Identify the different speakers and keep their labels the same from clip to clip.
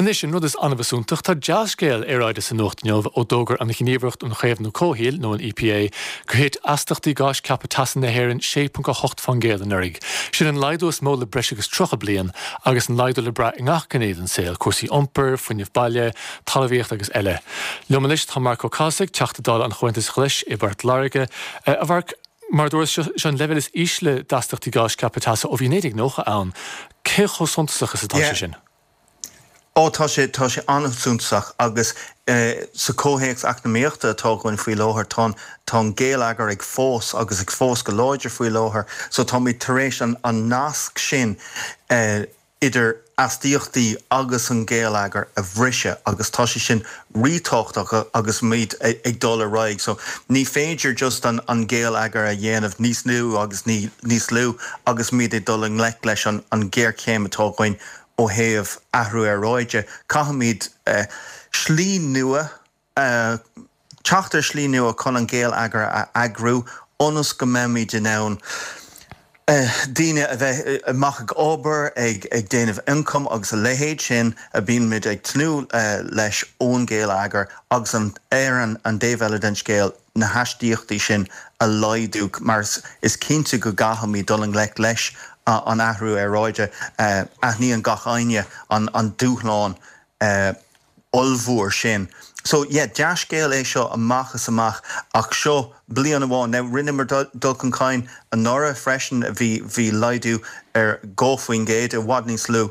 Speaker 1: Anois, an rud is annamh is iontach, tá dea-scéal aeráide sa nuacht inniu ó d'fhógair an Ghníomhaireacht um Chaomhnú Comhshaoil, nó an EPA, gur thit astaíochtaí gáis ceaptha teasa na hÉireann 6.8% anuraidh. Sin an laghdú is mó le breis agus 30 bliain, agus an laghdú le brath i ngach gné den saol, cúrsaí iompair, fuinneamh baile, talmhaíocht agus eile. Liom anois tá Marc Ó Cathasaigh, Teachta Dála an Chomhaontais Ghlais i bPort Láirge. A Mhairc, mar a dúras, seo an leibhéal is ísle d'astaíochtaí gáis ceaptha teasa ó bhí 1990 ann. Cé chomh suntasach is atá sé sin?
Speaker 2: Ó, tá sé, tá sé an-suntasach agus sa chomhthéacs eacnamaíochta atá againn faoi láthair, tá an, tá an géilleagar ag fás agus ag fás go láidir faoi láthair so táimid tar éis an, an nasc sin idir astaíochtaí agus an géilleagar a bhriseadh agus tá sé sin rítábhachtach agus muid ag dul ar aghaidh. So ní féidir just an an géilleagar a dhéanamh níos lú agus níos lú agus muid ag dul i ngleic leis an an ghéarchéim atá againn ó thaobh athrú aeráide. Caithfimid slí nua a teacht ar shlí nua chun an géilleagar a eagrú ionas go mbeimid in ann daoine a bheith amach ag obair, ag déanamh ioncaim agus a leithéid sin a bíonn muid ag tnúth leis ón ghéilleagar agus ar an dtaobh eile den scéal na hastaíochtaí sin a laghdú mar is cinnte go gcaithfimid dul i ngleic leis an athrú aeráide. Aithníonn gach éinne an dúshlán ollmhór sin. So yeah, dea-scéal é seo amach is amach ach seo bliain amháin. Now rinneamar dul chun cinn anuraidh freisin, bhí, bhí laghdú ar 2%, i bhfad níos lú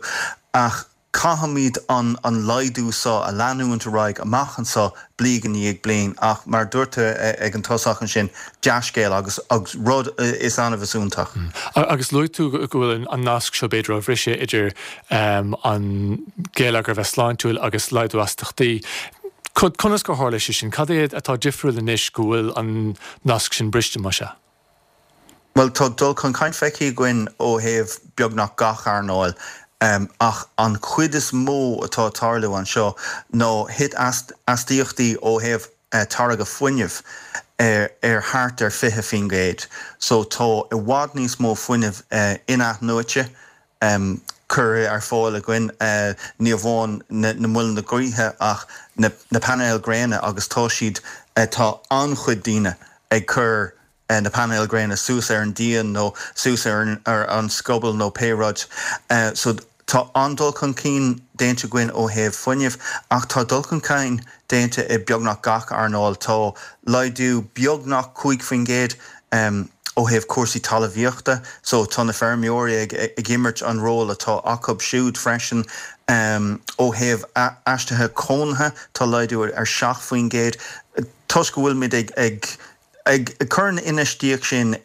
Speaker 2: ach caithfimid an, an laghdú seo a leanúint ar aghaidh amach anseo bliain i ndiaidh bliain ach mar a dúirt tú ag an tosach ansin, dea-scéal agus, agus rud is annamh is iontach.
Speaker 1: Agus luaigh tú go bhfuil an nasc seo b'fhéidir á bhriseadh idir an géilleagar a bheith sláintiúil agus laghdú astaíochtaí. Conas gur tharla sé sin? Cad é atá difriúil anois go bhfuil an nasc sin briste, más ea?
Speaker 2: Bhuel, tá dul chun cinn feicthe againn ó thaobh beagnach gach earnáil, ach an chuid is mó atá ag tarlú anseo ná thit astaíochtaí ó thaobh táirgeadh fuinnimh ar thart ar 20%. So tá i bhfad níos mó fuinnimh in-athnuaite curtha ar fáil againn, ní amháin na muileanna gaoithe ach na painéil gréine agus tá siad, tá an-chuid daoine ag cur na painéil gréine suas ar an díon nó suas ar an scoball nó pé rud. So tá an-dul chun cinn déanta againn ó thaobh fuinnimh ach tá dul chun cinn déanta i beagnach gach earnáil. Tá laghdú beagnach 5% ó thaobh cúrsaí talmhaíochta, so tá na feirmeoirí ag imirt an ról atá acu siúd freisin. Ó thaobh aistrithe cónaithe, tá laghdú ar 7% toisc go bhfuilimid ag ag cur an infheistíocht sin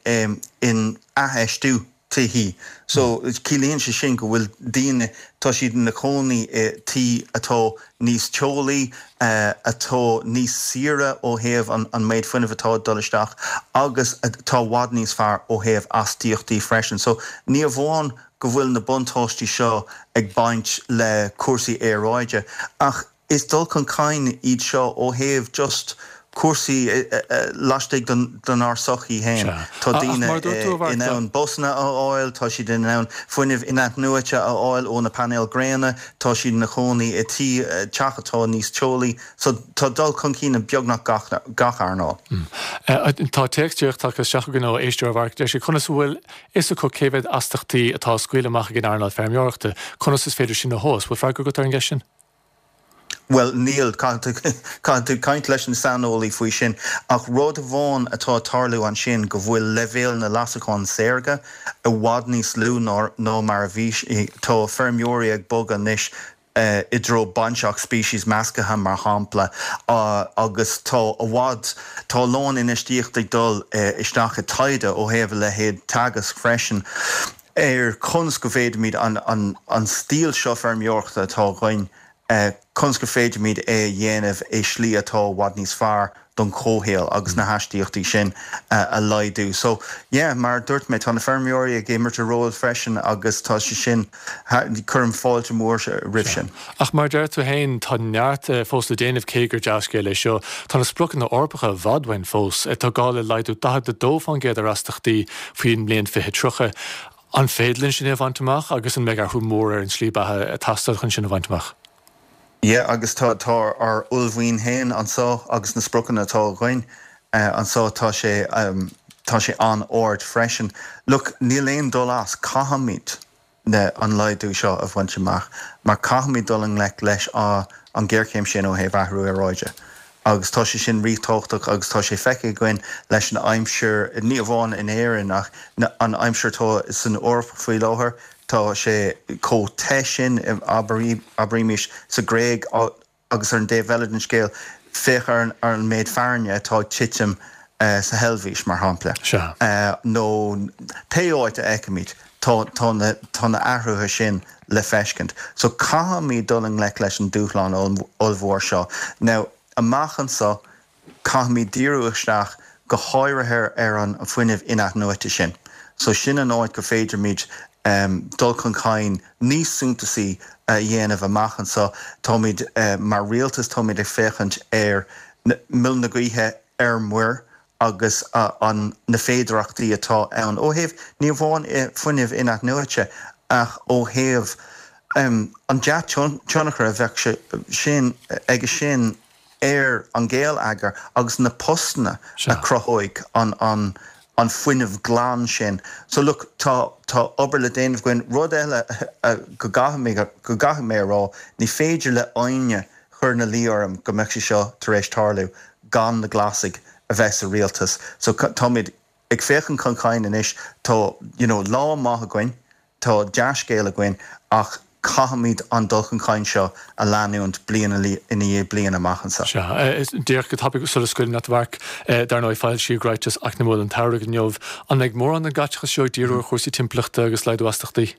Speaker 2: in athfheistiú. tithí. So, ciallaíonn sé sin go bhfuil daoine, tá siad ina cónaí i tí atá níos teolaí, atá níos saoire ó thaobh an méid fuinnimh atá ag dul isteach agus atá i bhfad níos fearr ó thaobh astaíochtaí freisin. So, ní amháin go bhfuil na buntáistí seo ag baint le cúrsaí aeráide ach Is dul chun cinn iad seo ó thaobh just cúrsaí laistigh denár sochaí féin. Tá daoine in ann busanna a fháil, tá siad in ann fuinneamh in-athnuaite a fháil ó na painéil gréine, tá siad ina chónaí i tí, teach atá níos teolaí. So tá dul chun cinn i beagnach gach earnáil.
Speaker 1: Tá téacs díreach tagtha isteach againn ó éisteoir a Mhairc. Deir sé, conas a bhfuil fhios acu cé mhéad astaíochtaí atá á scaoileadh amach ag an earnáil feirmeoireachta? Conas is féidir sin a thomhas? Bhfuil freagra agat ar an gceist sin?
Speaker 2: Bhuel, níl. Caithfidh tú caint leis an saineolaí faoi sin. Ach rud amháin atá ag tarlú ansin go bhfuil leibhéal na leasachán saorga i bhfad níos lú ná mar a bhí. Tá feirmeoirí ag bogadh anois i dtreo bainteach speicis measctha, mar shampla, agus tá i bhfad, tá a lán infheistíocht ag dul isteach i taighde ó thaobh a leithéid Teagasc freisin. ar conas go bhféadfaimid an stíl seo feirmeoireachta atá againn, conas go féidirimid é a dhéanamh i slí atá i bhfad níos fearr don chomhshaol agus na hastaíochtaí sin a laghdú. So, yeah, mar a dúirt mé, tá na feirmeoirí ag imirt a ról freisin agus tá sé sin, cuirim fáilte mhór roimh sin.
Speaker 1: Ach mar a deir tú féin, tá neart fós le déanamh cé gur dea-scéal é seo. Tá na spriocanna Eorpacha i bhfad uainn fós. Tá gá le laghdú 42% ar astaíochtaí faoin mbliain 2030. An féidir linn sin é a bhaint amach agus an mbeidh athrú mór ar an tslí beatha ag teastáil chun sin a bhaint amach?
Speaker 2: Yeah agus tá tá ár uaillmhian féin anso agus na spriocanna atá againn anso tá sé tá sé an-ard freisin. Look níl aon dul as, caithfimid na an laghdú seo a bhaint amach mar caithfimid dul i ngleic leis an ghéarchéim sin ó thaobh athrú aeráide agus tá sé sin ríthábhachtach agus tá sé feicthe againn leis an aimsir ní amháin in Éirinn ach an aimsir atá san Eoraip faoi láthair. Tá sé chomh te sin, abraímis, sa Ghréig agus ar an dtaobh eile den scéal, féach ar an méid fearthainne atá ag titim sa Heilvéis, mar shampla, nó pé áit a fheicimid, tá na athruithe sin le feiscint. So caithfimid dul i ngleic leis an dúshlán ollmhór seo. Now, amach anseo, Caithfimid díriú isteach go háirithe ar an fuinneamh in-athnuaite sin. So sin an áit go féidirmid dul chun cinn níos suntasaí a dhéanamh amach anseo. Táimid, mar rialtas, táimid ag féachaint ar muileann na gaoithe ar muir agus an na féidearthachtaí atá ann ó thaobh ní amháin fuinneamh in-athnuaite ach ó thaobh an dea-tionchar a bheadh sé sin aige sin ar an gheilleagar agus na postanna a chruthóidh an an fuinneamh glan sin. So look, tá tá obair le déanamh againn. Rud eile go gcaithfidh go gcaithfidh mé a rá, ní féidir le éinne cur ina luí orm go mbeadh sé seo tar éis tarlú gan na Glasaigh a bheith sa rialtas. So táimid ag féachaint chun cinn anois, tá you know lá maith againn, Tá dea-scéal againn ach caithfimid an dul chun cinn seo a leanúint bliain i ndiaidh bliana amach anseo.
Speaker 1: Sea. Díreach go tapaidh sula scaoilim leat a Mharc, dar ndóigh foilsíodh ráiteas eacnamúil an tsamhraidh inniu. An mbeidh mórán den gcaiteachas seo ag díriú ar chúrsaí timpeallachta agus laghdú astachtaí?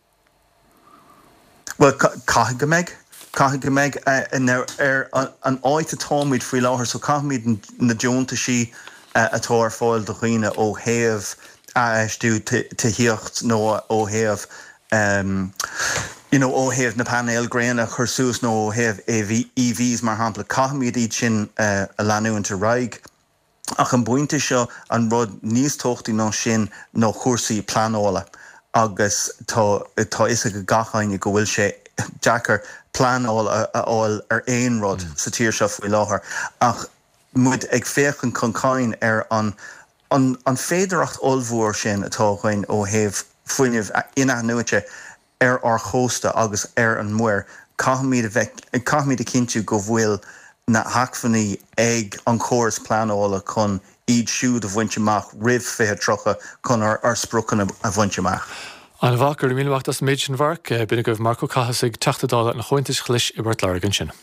Speaker 2: Bhuel, caithfidh go mbeidh. Caithfidh go mbeidh. Now, ar an áit atáimid faoi láthair, so caithfimid na deontaisí atá ar fáil do dhaoine ó thaobh athfheistiú tithíocht nó ó thaobh you know ó thaobh na painéil gréine a chur suas nó ó thaobh EVs mar shampla, caithfimid iad sin a leanúint ar aghaidh. Ach an pointe seo, an rud níos tábhachtaí ná sin ná cúrsaí pleanála agus tá tá fhios ag gach éinne go bhfuil sé deacair pleanáil a fháil ar aon rud sa tír seo faoi láthair ach muid ag féachaint chun cinn ar an an féidearthacht ollmhór sin atá againn ó thaobh fuinneamh in-athnuaite ar ár chósta agus ar an muir, caithfimid a bheith, caithfimid a chinntiú go bhfuil na hacmhainní ag an chóras pleanála chun iad siúd a bhaint amach roimh 2030 chun ár spriocanna a bhaint amach.
Speaker 1: An-mhaith, go raibh míle maith agat as an méid sin, Mharc. B'in agaibh Marc Ó Cathasaigh, Teachta Dála an Chomhaontais Ghlais i bPort Láirge ansin.